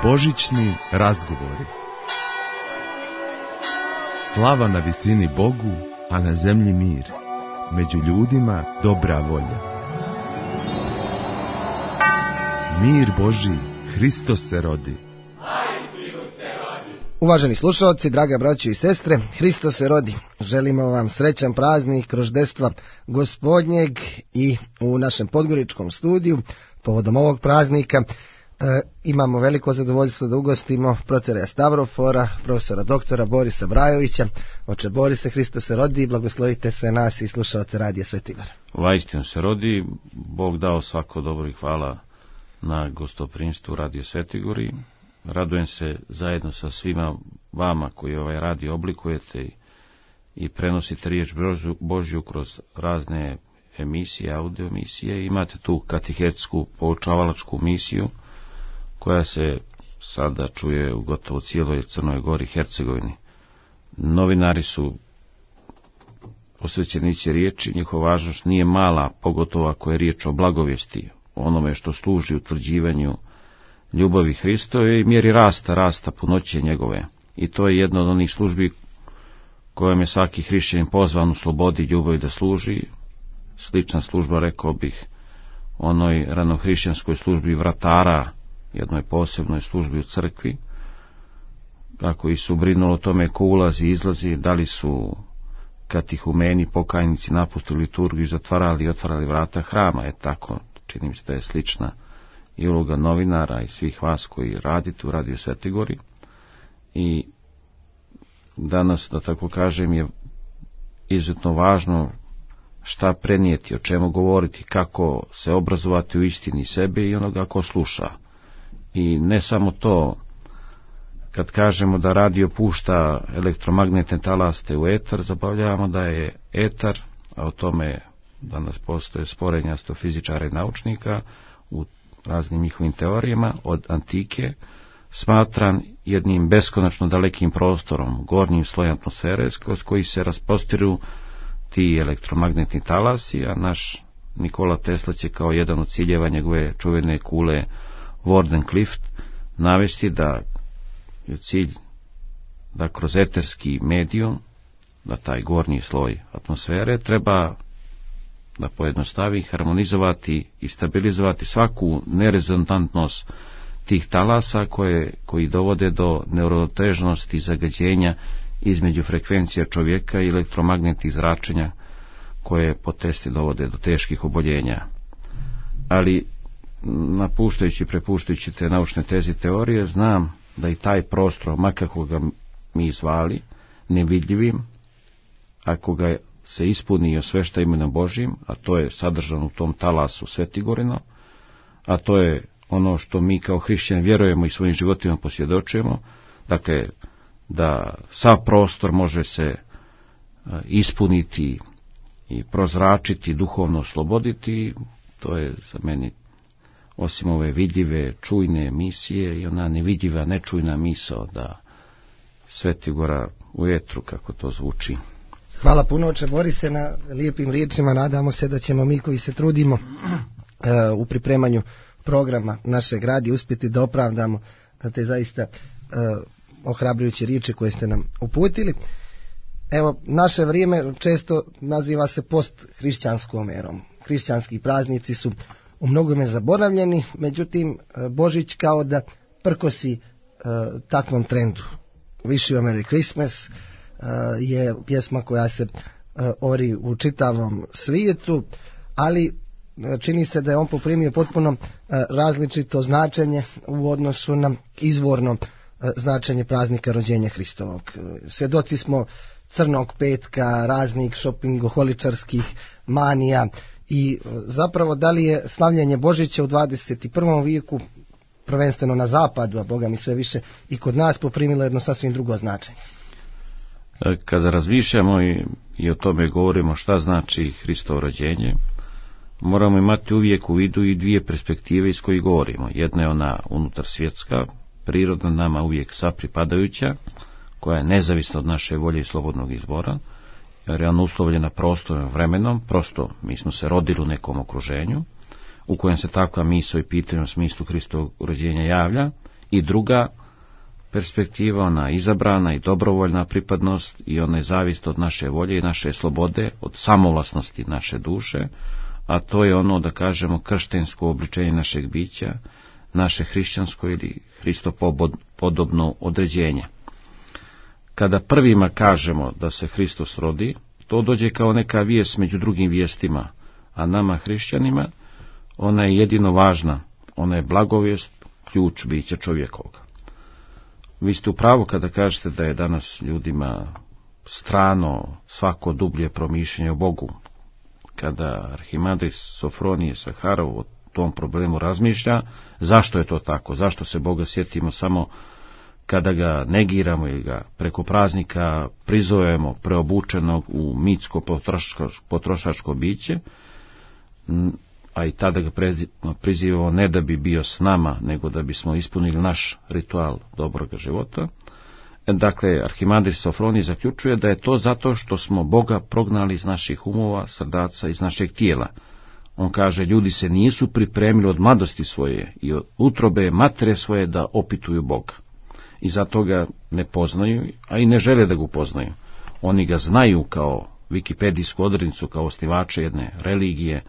Božićni razgovori. Slava na visini Bogu, a na zemlji mir. Među ljudima dobra volja. Mir Božji, Hristos se rodi. Uvaženi slušalci, draga braćo i sestre, Hristos se rodi. Želimo vam srećan praznik Roždestva Gospodnjeg i u našem podgoričkom studiju povodom ovog praznika imamo veliko zadovoljstvo da ugostimo protereja Stavrofora, profesora doktora Borisa Brajovića. Oče Borise, Hristos se rodi, blagoslovite sve nas i slušalce Radija Sveti Igor. Vaistinu se rodi, Bog dao svako dobro i hvala na gostoprimstvu Radio Sveti Igor. Radujem se zajedno sa svima vama koji ovaj radio oblikujete i prenosite riječ Božju kroz razne emisije, audio emisije. Imate tu katehetsku poučavalačku misiju koja se sada čuje u gotovo cijeloj Crnoj Gori, Hercegovini. Novinari su posvećenici riječi, njihova važnost nije mala, pogotovo ako je riječ o blagovijesti, o onome što služi utvrđivanju ljubavi Hristove i mjeri rasta punoće njegove. I to je jedna od onih službi kojom je svaki hrišćanin pozvan u slobodi i ljubavi da služi. Slična služba, rekao bih, onoj ranohrišćanskoj službi vratara, jednoj posebnoj službi u crkvi, kako i su brinulo o tome ko ulazi i izlazi, da li su katihumeni, pokajnici napustili liturgiju i zatvarali i otvarali vrata hrama. Tako, čini mi se da je slična i uloga novinara i svih vas koji radite u Radio Sveti Igor. I danas, da tako kažem, je izuzetno važno šta prenijeti, o čemu govoriti, kako se obrazovati u istini sebe i onoga ko sluša. I ne samo to, kad kažemo da radio pušta elektromagnetne talaste u etar, zabavljamo da je etar, a o tome danas postoje sporenja astrofizičara i naučnika u raznim njihovim teorijama, od antike, smatran jednim beskonačno dalekim prostorom, gornjim slojem atmosfere, kroz koji se rasprostiru ti elektromagnetni talasi, a naš Nikola Tesla će kao jedan od ciljeva njegove čuvene kule Wardenclyffe navesti da je cilj da kroz eterski medijum, da taj gornji sloj atmosfere treba da pojednostavi, harmonizovati i stabilizovati svaku nerezonantnost tih talasa koji dovode do neurotežnosti i zagađenja između frekvencija čovjeka i elektromagnetnih zračenja koje po testi dovode do teških oboljenja. Ali prepuštajući te naučne teze i teorije, znam da i taj prostor, makako ga mi zvali, nevidljivim, ako ga se ispuni osvešta imenom Božjim, a to je sadržano u tom talasu Svetigorino, a to je ono što mi kao hrišćani vjerujemo i svojim životima posvjedočujemo, dakle, da sav prostor može se ispuniti i prozračiti, duhovno osloboditi. To je za meni, osim ove vidljive, čujne misije, i ona nevidljiva, nečujna misao da Sveti Igor u etru, kako to zvuči. Hvala puno, oče Borise, na lijepim riječima. Nadamo se da ćemo mi koji se trudimo u pripremanju programa našeg radija uspjeti da opravdamo te zaista ohrabrujuće riječi koje ste nam uputili. Evo, naše vrijeme često naziva se post-hrišćanskom erom. Hrišćanski praznici su u mnogome zaboravljeni, međutim Božić kao da prkosi takvom trendu. Wish you a Merry Christmas je pjesma koja se ori u čitavom svijetu, ali čini se da je on poprimio potpuno različito značenje u odnosu na izvorno značenje praznika rođenja Hristovog. Svjedoci smo crnog petka, raznih šopingoholičarskih manija i zapravo da li je slavljenje Božića u 21. vijeku, prvenstveno na zapadu, a Boga mi sve više i kod nas, poprimilo jedno sasvim drugo značenje. Kada razmišljamo i o tome govorimo šta znači Hristovo rođenje, moramo imati uvijek u vidu i dvije perspektive iz kojih govorimo. Jedna je ona unutar svjetska, prirodna, nama uvijek sapripadajuća, koja je nezavisna od naše volje i slobodnog izbora, jer je ona uslovljena prostorom, vremenom, prosto mi smo se rodili u nekom okruženju, u kojem se takva misao i pitanje u smislu Hristovog rođenja javlja, I druga perspektiva, ona izabrana i dobrovoljna pripadnost i ona je zavist od naše volje i naše slobode, od samovlasnosti naše duše, a to je ono, da kažemo, krštensko obličenje našeg bića, naše hrišćansko ili hristopodobno određenje. Kada prvima kažemo da se Hristos rodi, to dođe kao neka vijest među drugim vijestima, a nama hrišćanima ona je jedino važna, ona je blagovijest, ključ bića čovjekoga. Vi ste u pravu kada kažete da je danas ljudima strano svako dublje promišljanje o Bogu. Kada arhimandrit Sofronije Saharov o tom problemu razmišlja, zašto je to tako, zašto se Boga sjetimo samo kada ga negiramo ili ga preko praznika prizovemo preobučenog u mitsko potrošačko biće, a i tada ga prizivamo ne da bi bio s nama, nego da bismo ispunili naš ritual dobroga života. Dakle, arhimandrit Sofronije zaključuje da je to zato što smo Boga prognali iz naših umova, srdaca, iz našeg tijela. On kaže, ljudi se nisu pripremili od mladosti svoje i od utrobe matere svoje da opituju Boga. I zato ga ne poznaju, a i ne žele da ga upoznaju. Oni ga znaju kao vikipedijsku odrednicu, kao osnivače jedne religije,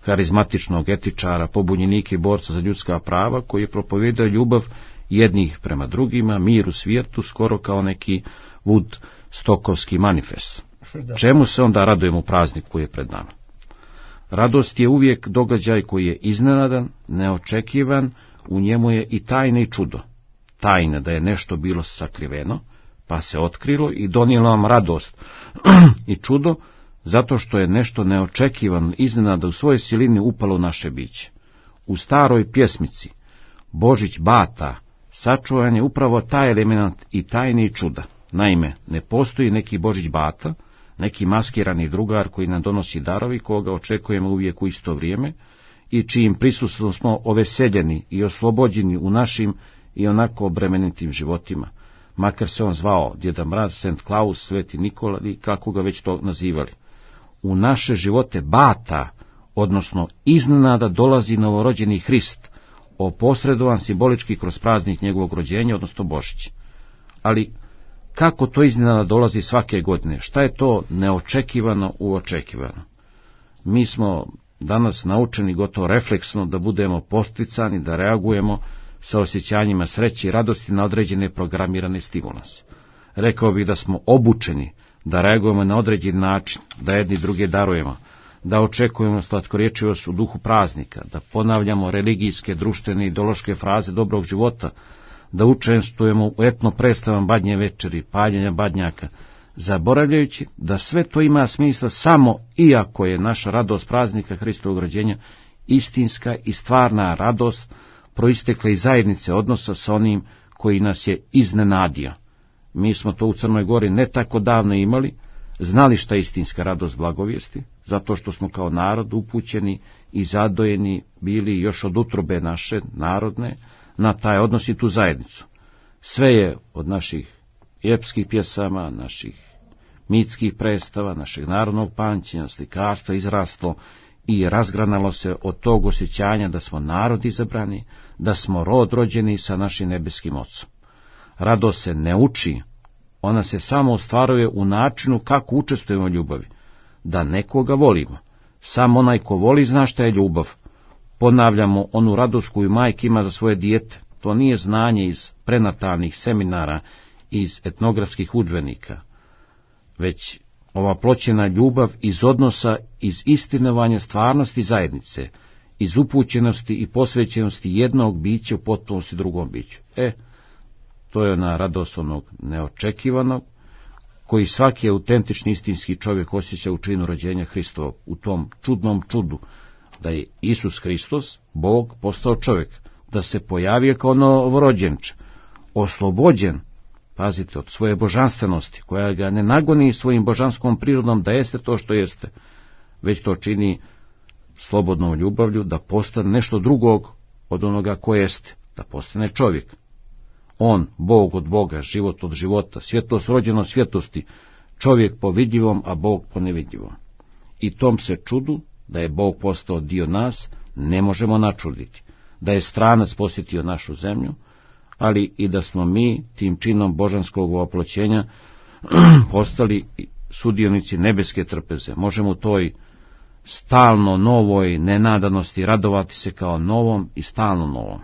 harizmatičnog etičara, pobunjenika i borca za ljudska prava, koji je propovijedao ljubav jednih prema drugima, mir u svijetu, skoro kao neki Woodstockovski manifest. Čemu se onda radujemo u prazniku koji je pred nama? Radost je uvijek događaj koji je iznenadan, neočekivan, u njemu je i tajna i čudo. Tajna da je nešto bilo sakriveno, pa se otkrilo i donijelo vam radost i čudo, zato što je nešto neočekivano, iznenada u svojoj silini upalo u naše biće. U staroj pjesmici Božić Bata sačuvan je upravo taj element i tajne i čuda. Naime, ne postoji neki Božić Bata, neki maskirani drugar koji nam donosi darovi, koga očekujemo uvijek u isto vrijeme i čijim prisustvom smo oveseljeni i oslobođeni u našim i onako obremenitim životima, makar se on zvao Djeda Mraz, St. Klaus, Sveti Nikola i kako ga već to nazivali. U naše živote Bata, odnosno iznenada dolazi novorođeni Hrist, oposredovan simbolički kroz praznik njegovog rođenja, odnosno Božić. Ali kako to iznenada dolazi svake godine? Šta je to neočekivano uočekivano? Mi smo danas naučeni gotovo refleksno da budemo posticani, da reagujemo sa osjećanjima sreće i radosti na određene programirane stimulanse. Rekao bih da smo obučeni da reagujemo na određen način, da jedni druge darujemo, da očekujemo slatkorječivost u duhu praznika, da ponavljamo religijske, društvene i ideološke fraze dobrog života, da učestvujemo u etno predstavama Badnje večeri, paljenja badnjaka, zaboravljajući da sve to ima smisla samo iako je naša radost praznika Hristovog rođenja istinska i stvarna radost proistekla iz zajednice odnosa sa onim koji nas je iznenadio. Mi smo to u Crnoj Gori ne tako davno imali, znali šta je istinska radost blagovijesti, zato što smo kao narod upućeni i zadojeni bili još od utrobe naše narodne na taj odnos i tu zajednicu. Sve je od naših epskih pjesama, naših mitskih predstava, našeg narodnog pamćenja, slikarstva izraslo i razgranalo se od tog osjećanja da smo narod izabrani, da smo rod rođeni sa našim nebeskim Ocom. Radost se ne uči, ona se samo ostvaruje u načinu kako učestvujemo u ljubavi, da nekoga volimo. Sam onaj ko voli zna šta je ljubav. Ponavljamo onu radost koju majka ima za svoje dijete. To nije znanje iz prenatalnih seminara, iz etnografskih udžbenika, već ova ploćena ljubav iz odnosa, iz istinovanja stvarnosti zajednice, iz upućenosti i posvećenosti jednog bića u potpunosti drugom biću. To je ona radost onog neočekivanog, koji svaki autentični istinski čovjek osjeća u činu rođenja Hristovog, u tom čudnom čudu, da je Isus Hristos, Bog, postao čovjek, da se pojavio kao novorođenče, oslobođen, pazite, od svoje božanstvenosti, koja ga ne nagoni svojim božanskom prirodom da jeste to što jeste, već to čini slobodnom ljubavlju da postane nešto drugog od onoga ko jeste, da postane čovjek. On, Bog od Boga, život od života, svjetlost rođena od svjetlosti, čovjek po vidljivom, a Bog po nevidljivom. I tom se čudu, da je Bog postao dio nas, ne možemo načuditi. Da je stranac posjetio našu zemlju, ali i da smo mi tim činom božanskog oploćenja postali sudionici nebeske trpeze. Možemo u toj stalno novoj nenadanosti radovati se kao novom i stalno novom.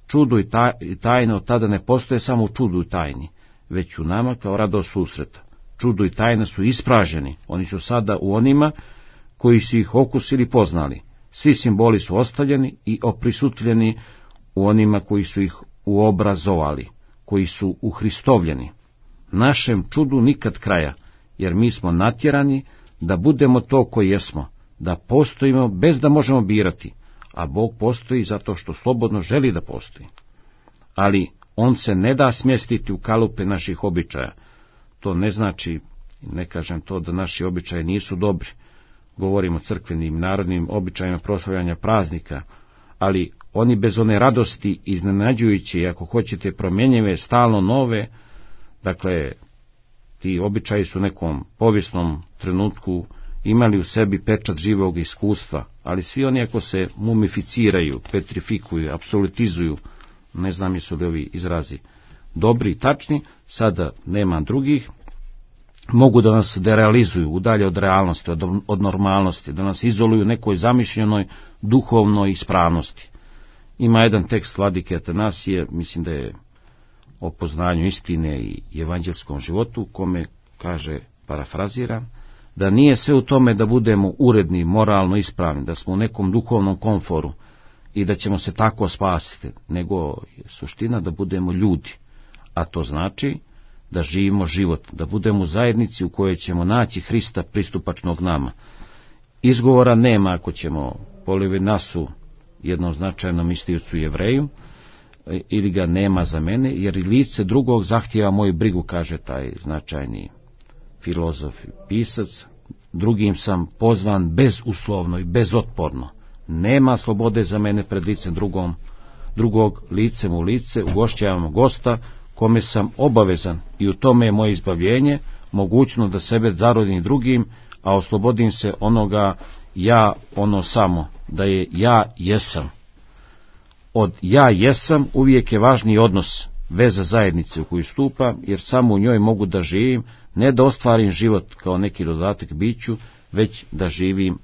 Čudo i tajna od tada ne postoje samo u čudu i tajni, već u nama kao radost susreta. Čudo i tajna su ispraženi, oni su sada u onima koji su ih okusili poznali. Svi simboli su ostavljeni i oprisutljeni u onima koji su ih uobrazovali, koji su uhristovljeni. Našem čudu nikad kraja, jer mi smo natjerani da budemo to koji jesmo, da postojimo bez da možemo birati, a Bog postoji zato što slobodno želi da postoji. Ali on se ne da smjestiti u kalupe naših običaja. To ne znači, ne kažem to da naši običaji nisu dobri, govorimo o crkvenim narodnim običajima proslavljanja praznika, ali oni bez one radosti iznenađujuće i ako hoćete promjenjive, stalno nove, dakle, ti običaji su u nekom povijesnom trenutku imali u sebi pečat živog iskustva, ali svi oni ako se mumificiraju, petrifikuju, apsolutizuju, ne znam jesu li ovi izrazi dobri i tačni, sada nema drugih, mogu da nas derealizuju, udalje od realnosti, od normalnosti, da nas izoluju u nekoj zamišljenoj duhovnoj ispravnosti. Ima jedan tekst vladike Atanasije, mislim da je o poznanju istine i evanđelskom životu, kome kaže, parafraziram, da nije sve u tome da budemo uredni, moralno ispravni, da smo u nekom duhovnom komforu i da ćemo se tako spasiti, nego je suština da budemo ljudi, a to znači da živimo život, da budemo u zajednici u kojoj ćemo naći Hrista pristupačnog nama. Izgovora nema ako ćemo po Levinasu, jednom značajnom istiocu Jevreju, ili ga nema za mene, jer i lice drugog zahtijeva moju brigu, kaže taj značajni filozof i pisac. Drugim sam pozvan bezuslovno i bezotporno. Nema slobode za mene pred licem drugog, licem u lice, ugošćavam gosta kome sam obavezan i u tome je moje izbavljenje, mogućno da sebe zarodim drugim, a oslobodim se onoga ja, ono samo, da je ja jesam. Od ja jesam uvijek je važniji odnos, veza zajednice u koju stupam, jer samo u njoj mogu da živim, ne da ostvarim život kao neki dodatak biću, već da živim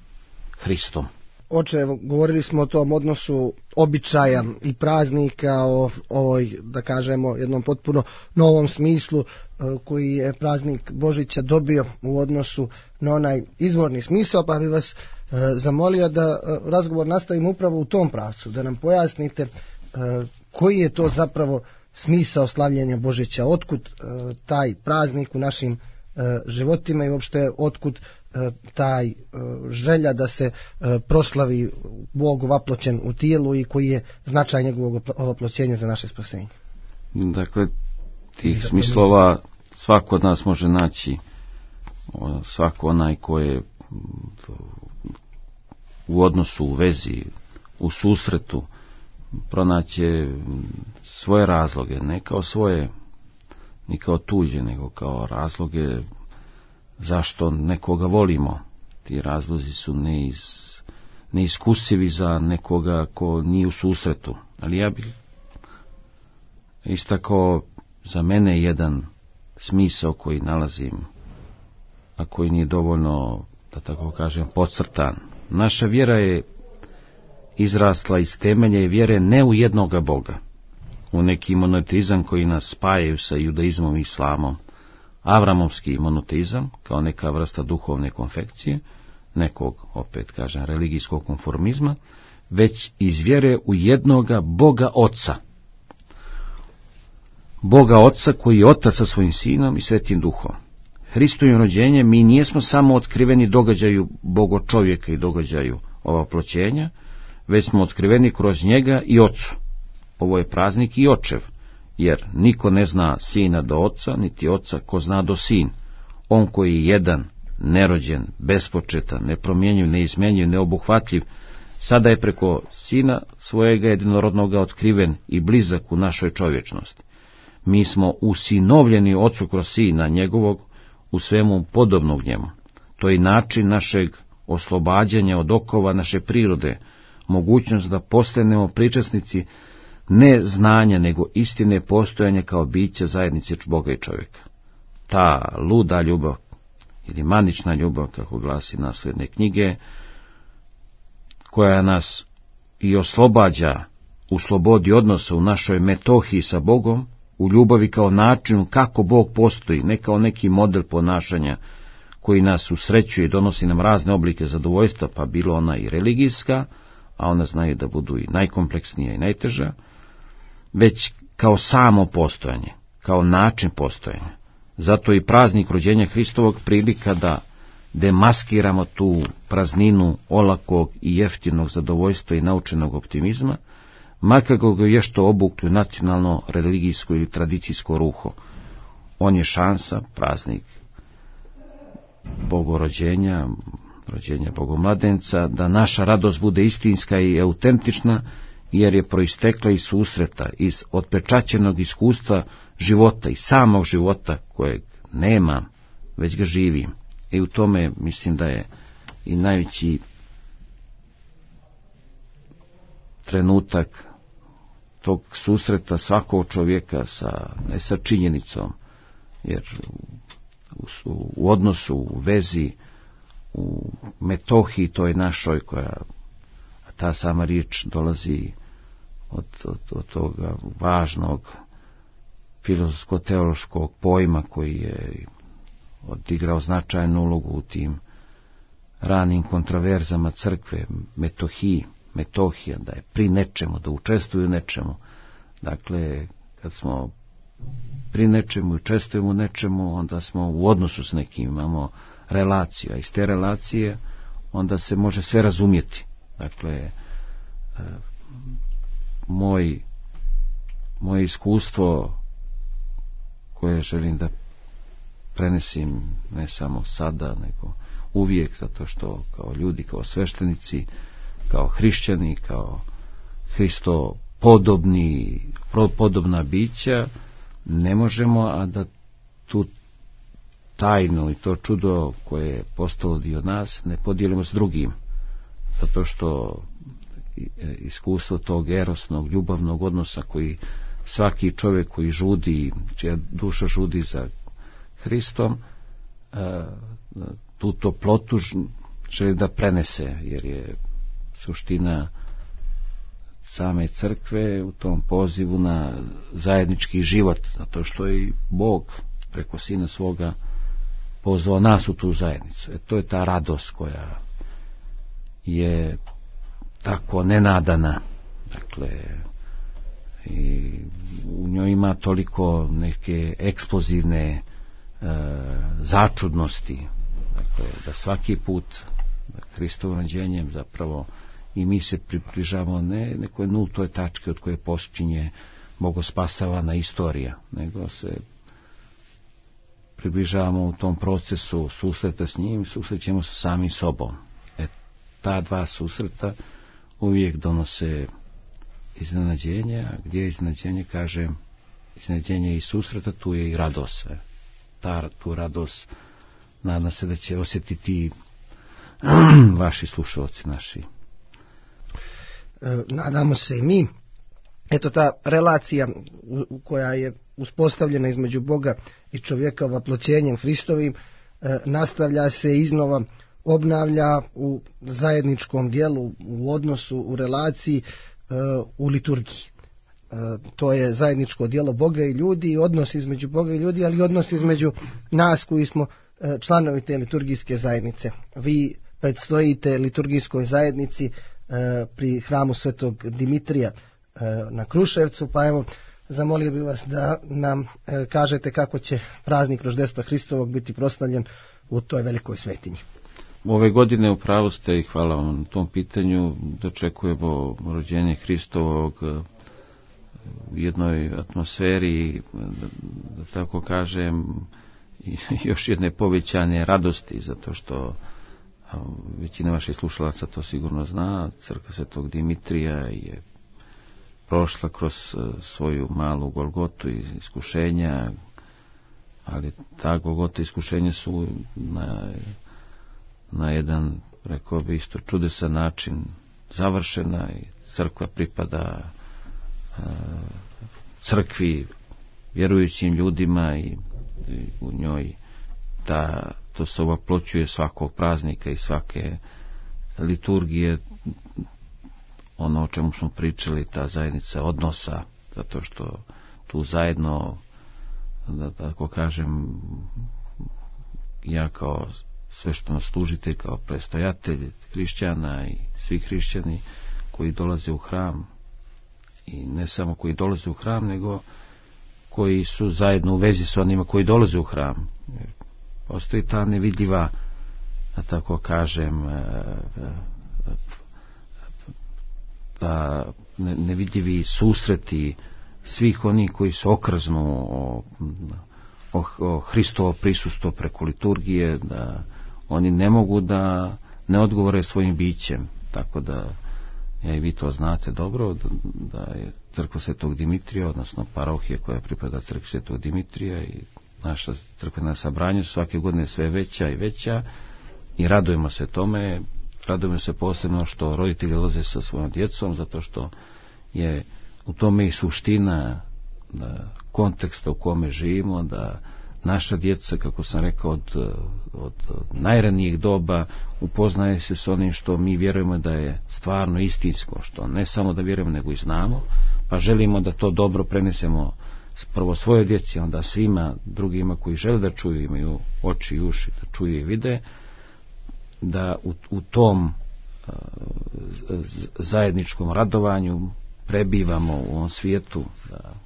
Hristom. Oče, govorili smo o tom odnosu običaja i praznika, o ovoj, da kažemo, jednom potpuno novom smislu koji je praznik Božića dobio u odnosu na onaj izvorni smisao, pa bih vas zamolio da razgovor nastavimo upravo u tom pravcu, da nam pojasnite koji je to zapravo smisao slavljenja Božića, otkud taj praznik u našim životima i uopšte otkud taj želja da se proslavi Bog vaploćen u tijelu i koji je značaj njegovog vaploćenja za naše spasenje. Dakle, tih smislova svako od nas može naći, svako onaj ko je u odnosu, u vezi, u susretu, pronaće svoje razloge, ne kao svoje, ni kao tuđe, nego kao razloge zašto nekoga volimo. Ti razlozi su neiskusivi za nekoga ko nije u susretu. Ali ja bih istakao za mene jedan smisao koji nalazim, a koji nije dovoljno, da tako kažem, podcrtan. Naša vjera je izrasla iz temelja i vjere ne u jednoga Boga, u neki monoteizam koji nas spajaju sa judaizmom i islamom, avramovski monoteizam kao neka vrsta duhovne konfekcije, nekog, opet kažem, religijskog konformizma, već iz vjere u jednoga Boga Oca. Boga Oca koji je Otac sa svojim Sinom i Svetim Duhom. Hristovim rođenjem mi nijesmo samo otkriveni događaju Bogo čovjeka i događaju ovaploćenja, već smo otkriveni kroz njega i Ocu. Ovo je praznik i očev, jer niko ne zna Sina do Oca, niti Oca ko zna do Sin. On koji je jedan, nerođen, bespočetan, nepromjenjiv, neizmjenjiv, neobuhvatljiv, sada je preko Sina svojega jedinorodnoga otkriven i blizak u našoj čovječnosti. Mi smo usinovljeni Ocu kroz Sina njegovog, u svemu podobnog njemu. To je način našeg oslobađanja od okova naše prirode, mogućnost da postanemo pričasnici ne znanja, nego istine postojanja kao bića zajednice Boga i čovjeka. Ta luda ljubav, ili manična ljubav, kako glasi nasledne knjige, koja nas i oslobađa u slobodi odnosa u našoj metohiji sa Bogom, u ljubavi kao načinu kako Bog postoji, ne kao neki model ponašanja koji nas usrećuje i donosi nam razne oblike zadovoljstva, pa bilo ona i religijska, a ona znaju da budu i najkompleksnija i najteža, već kao samo postojanje, kao način postojanja. Zato i praznik rođenja Hristovog prilika da demaskiramo tu prazninu olakog i jeftinog zadovoljstva i naučenog optimizma, makar ga je što obukli nacionalno, religijsko ili tradicijsko ruho. On je šansa, praznik Bogorođenja, rođenja Bogomladenca, da naša radost bude istinska i autentična, jer je proistekla iz susreta, iz otpečaćenog iskustva života i samog života kojeg nema, već ga živim. I u tome mislim da je i najveći trenutak tog susreta svakog čovjeka ne sa činjenicom, jer u odnosu, u vezi, u metohiji toj našoj, koja ta sama riječ dolazi od toga važnog filozofsko-teološkog pojma koji je odigrao značajnu ulogu u tim ranim kontraverzama crkve, metohija, da je pri nečemu, da učestvuju u nečemu. Dakle, kad smo pri nečemu i učestvujemo u nečemu, onda smo u odnosu s nekim, imamo relaciju, a iz te relacije onda se može sve razumjeti. Dakle, moje iskustvo koje želim da prenesim ne samo sada, nego uvijek, zato što kao ljudi, kao sveštenici, kao hrišćani, kao Hristo podobna bića, ne možemo, a da tu tajnu i to čudo koje je postalo dio nas ne podijelimo s drugim, zato što iskustvo tog erosnog, ljubavnog odnosa koji svaki čovjek koji žudi, čija duša žudi za Hristom, tu toplotu želi da prenese, jer je suština same crkve u tom pozivu na zajednički život, zato što je i Bog preko Sina svoga pozvao nas u tu zajednicu. To je ta radost koja je tako nenadana, dakle, i u njoj ima toliko neke eksplozivne začudnosti, dakle, da svaki put Hristovim rođenjem zapravo i mi se približavamo ne nekoj nultoj tački od koje počinje bogospasavana istorija, nego se približavamo u tom procesu susreta s njim, susrećemo sa samim sobom. Ta dva susreta uvijek donose iznenađenje, a gdje je iznenađenje, kažem, iznenađenje i susreta, tu je i radost. Tu radost nadam se da će osjetiti vaši slušalci naši. Nadamo se i mi. Eto, ta relacija koja je uspostavljena između Boga i čovjeka vaploćenjem Hristovim nastavlja se iznova, obnavlja u zajedničkom dijelu, u odnosu, u relaciji, u liturgiji. To je zajedničko djelo Boga i ljudi, odnos između Boga i ljudi, ali i odnos između nas koji smo članovi te liturgijske zajednice. Vi predstojite liturgijskoj zajednici pri hramu Svetog Dimitrija na Kruševcu, pa evo, zamolio bih vas da nam kažete kako će praznik roždestva Hristovog biti proslavljen u toj velikoj svetinji. Ove godine u pravu ste i hvala vam na tom pitanju. Dočekujemo rođenje Hristovog u jednoj atmosferi, da tako kažem, još jedne povećane radosti, zato što većina vaših slušalaca to sigurno zna. Crkva Svetog Dimitrija je prošla kroz svoju malu Golgotu i iskušenja, ali ta Golgota iskušenja su na jedan, rekao bi isto, čudesan način završena i crkva pripada crkvi, vjerujućim ljudima i u njoj to se oploćuje svakog praznika i svake liturgije, ono o čemu smo pričali, ta zajednica odnosa, zato što tu zajedno, da tako kažem, ja kao svešteno služitelj, kao prestojatelj hrišćana i svi hrišćani koji dolaze u hram, i ne samo koji dolaze u hram, nego koji su zajedno u vezi s onima koji dolaze u hram. Postoji ta nevidljiva, da tako kažem, da nevidljivi susreti svih onih koji se okrznu o Hristovo prisustvo preko liturgije, da oni ne mogu da ne odgovore svojim bićem. Tako da, i vi to znate dobro, da je crkva Svetog Dimitrija, odnosno parohija koja pripada crkvi Svetog Dimitrija, i naša crkvena sabranja su svake godine sve veća i veća, i radujemo se tome. Radujemo se posebno što roditelji dolaze sa svojom djecom, zato što je u tome i suština konteksta u kome živimo, da naša djeca, kako sam rekao, od najranijih doba upoznaje se s onim što mi vjerujemo da je stvarno istinsko, što ne samo da vjerujemo nego i znamo, pa želimo da to dobro prenesemo prvo svojoj djeci, onda svima drugima koji žele da čuju, imaju oči i uši da čuju i vide, da u tom zajedničkom radovanju prebivamo u ovom svijetu,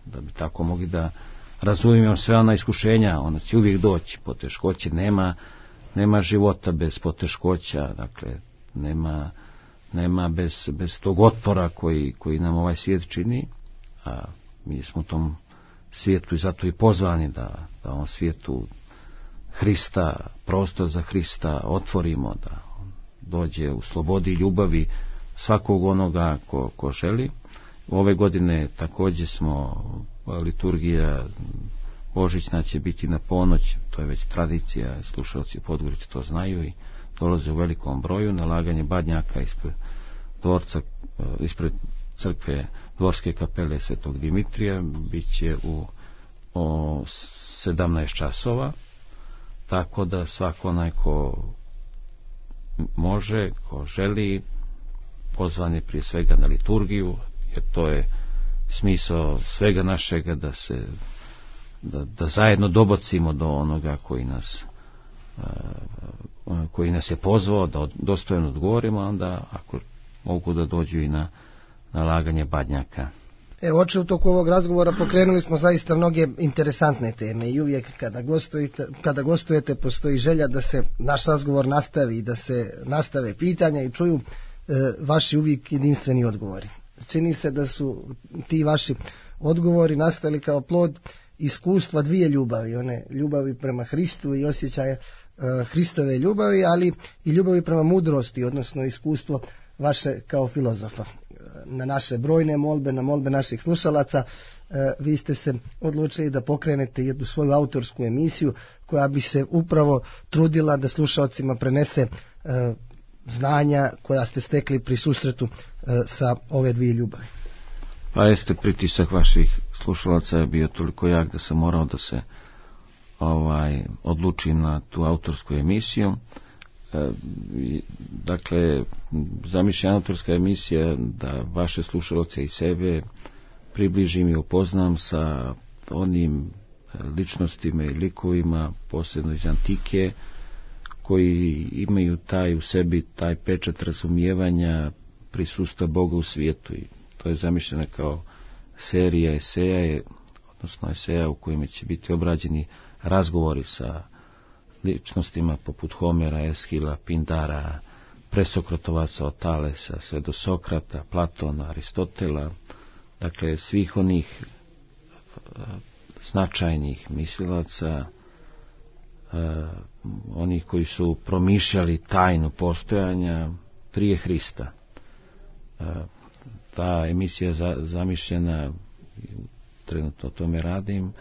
da bi tako mogli da razumijemo sve ona iskušenja. Ona će uvijek doći, poteškoće, nema života bez poteškoća, dakle nema bez tog otpora koji nam ovaj svijet čini, a mi smo u tom svijetu i zato i pozvani da ovom svijetu Hrista, prostor za Hrista otvorimo, da dođe u slobodi i ljubavi svakog onoga ko želi. Ove godine također smo, liturgija božićna će biti na ponoć, to je već tradicija, slušalci Podgorice to znaju i dolaze u velikom broju. Nalaganje badnjaka ispred crkve Dvorske kapele Svetog Dimitrija bit će u 17 časova, tako da svako onaj ko može, ko želi, pozvan je prije svega na liturgiju, jer to je smisao svega našega, da zajedno dobacimo do onoga koji nas je pozvao, da dostojno odgovorimo, onda ako mogu da dođu i na nalaganje badnjaka. Oče, u toku ovog razgovora pokrenuli smo zaista mnoge interesantne teme i uvijek kada gostujete postoji želja da se naš razgovor nastavi, da se nastave pitanja i čuju vaši uvijek jedinstveni odgovori. Čini se da su ti vaši odgovori nastali kao plod iskustva dvije ljubavi, one ljubavi prema Hristu i osjećaja Hristove ljubavi, ali i ljubavi prema mudrosti, odnosno iskustvo vaše kao filozofa. Na naše brojne molbe, na molbe naših slušalaca, vi ste se odlučili da pokrenete jednu svoju autorsku emisiju koja bi se upravo trudila da slušalcima prenese znanja koja ste stekli pri susretu sa ove dvije ljubavi. Pa jeste, pritisak vaših slušalaca je bio toliko jak da sam morao da se odlučim na tu autorsku emisiju. Dakle, zamišljena autorska emisija da vaše slušalce i sebe približim i upoznam sa onim ličnostima i likovima, posebno iz antike, koji imaju u sebi taj pečat razumijevanja prisustva Boga u svijetu. I to je zamišljeno kao serija eseja, odnosno eseja u kojima će biti obrađeni razgovori sa ličnostima poput Homera, Eshila, Pindara, presokratovaca od Talesa, sve do Sokrata, Platona, Aristotela, dakle svih onih značajnih mislilaca, onih koji su promišljali tajnu postojanja prije Hrista. Ta emisija zamišljena, trenutno o tome radim,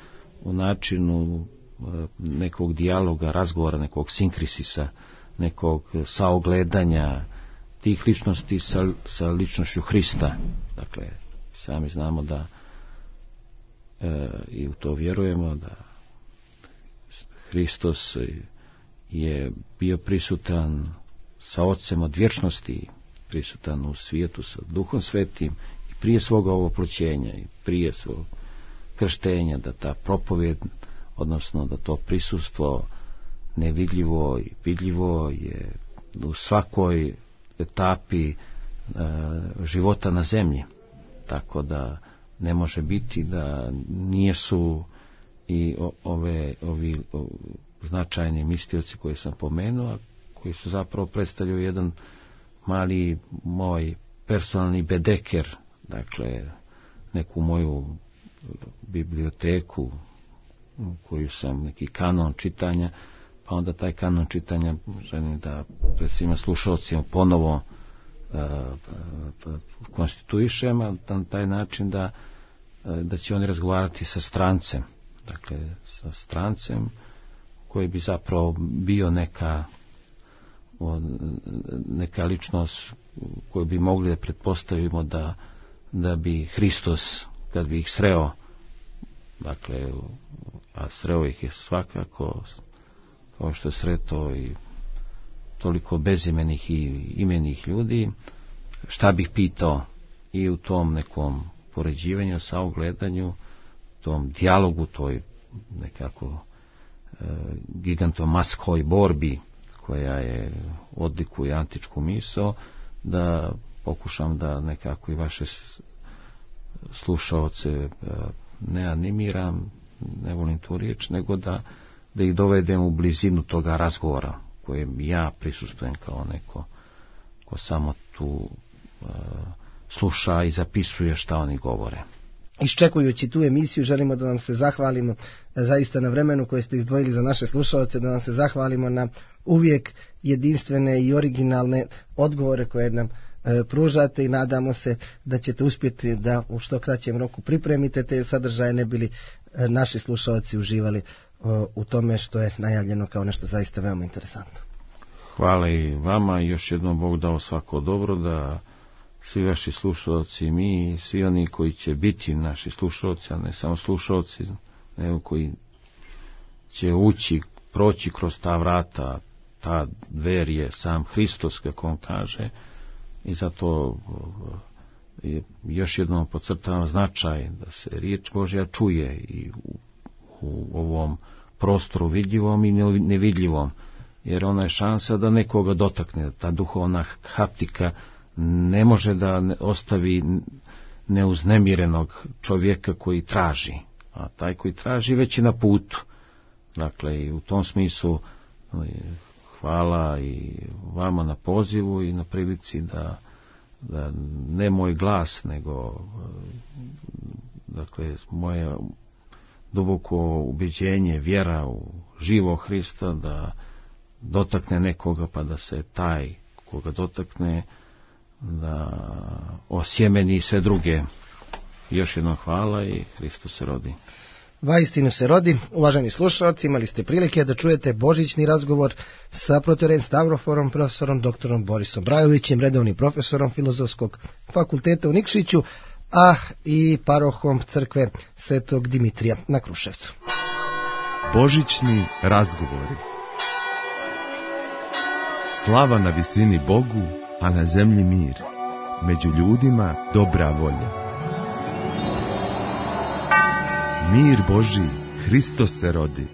u načinu nekog dijaloga, razgovora, nekog sinkrisisa, nekog saogledanja tih ličnosti sa ličnošću Hrista. Dakle, sami znamo da i u to vjerujemo da Hristos je bio prisutan sa Otcem od vječnosti, prisutan u svijetu sa Duhom Svetim i prije svoga ovoploćenja i prije svog krštenja, da ta propovjed, odnosno da to prisustvo nevidljivo i vidljivo je u svakoj etapi života na zemlji. Tako da ne može biti da nijesu i ovi značajni mistioci koje sam pomenuo, koji su zapravo predstavljaju jedan mali moj personalni bedeker, dakle neku moju biblioteku koju sam, neki kanon čitanja, pa onda taj kanon čitanja želim da pred svima slušalcima ponovo konstituišem, na taj način da će oni razgovarati sa strancem, dakle sa strancem koji bi zapravo bio neka ličnost koju bi mogli da pretpostavimo da bi Hristos, kad bi ih sreo, dakle, a sreo ih je svakako, kao što je sreto i toliko bezimenih i imenih ljudi, šta bih pitao i u tom nekom poređivanju, saogledanju, tom dijalogu, toj nekako gigantomaskoj borbi koja je odlikuje antičku misao, da pokušam da nekako i vaše slušaoce ne animiram, ne volim tu riječ, nego da ih dovedem u blizinu toga razgovora kojem ja prisustvujem kao neko ko samo tu sluša i zapisuje šta oni govore. Iščekujući tu emisiju, želimo da vam se zahvalimo zaista na vremenu koje ste izdvojili za naše slušalce, da vam se zahvalimo na uvijek jedinstvene i originalne odgovore koje nam pružate i nadamo se da ćete uspjeti da u što kraćem roku pripremite te sadržaje, ne bili naši slušalci uživali u tome što je najavljeno kao nešto zaista veoma interesantno. Hvala i vama i još jednom Bog dao svako dobro, da svi vaši slušalci, mi i svi oni koji će biti naši slušalci, a ne samo slušalci, nego koji će proći kroz ta vrata, ta dver je sam Hristos, kako on kaže, i zato još jednom podcrtavam značaj da se riječ Božja čuje i u ovom prostoru vidljivom i nevidljivom, jer ona je šansa da nekoga dotakne, ta duhovna haptika ne može da ostavi neuznemirenog čovjeka koji traži, a taj koji traži već je na putu. Dakle, i u tom smislu hvala i vama na pozivu i na prilici da ne moj glas, nego dakle moje duboko ubeđenje, vjera u živog Hrista, da dotakne nekoga, pa da se taj koga dotakne da osjemeni sve druge. Još jednom hvala i Hristos se rodi. Vaistinu se rodi. Uvaženi slušalci, imali ste prilike da čujete božićni razgovor sa protorejem Stavroforom, profesorom doktorom Borisom Brajovićem, redovnim profesorom Filozofskog fakulteta u Nikšiću, a i parohom crkve Svetog Dimitrija na Kruševcu. Božićni razgovori. Slava na visini Bogu, a na zemlji mir. Među ljudima dobra volja. Mir Božji, Hristos se rodi.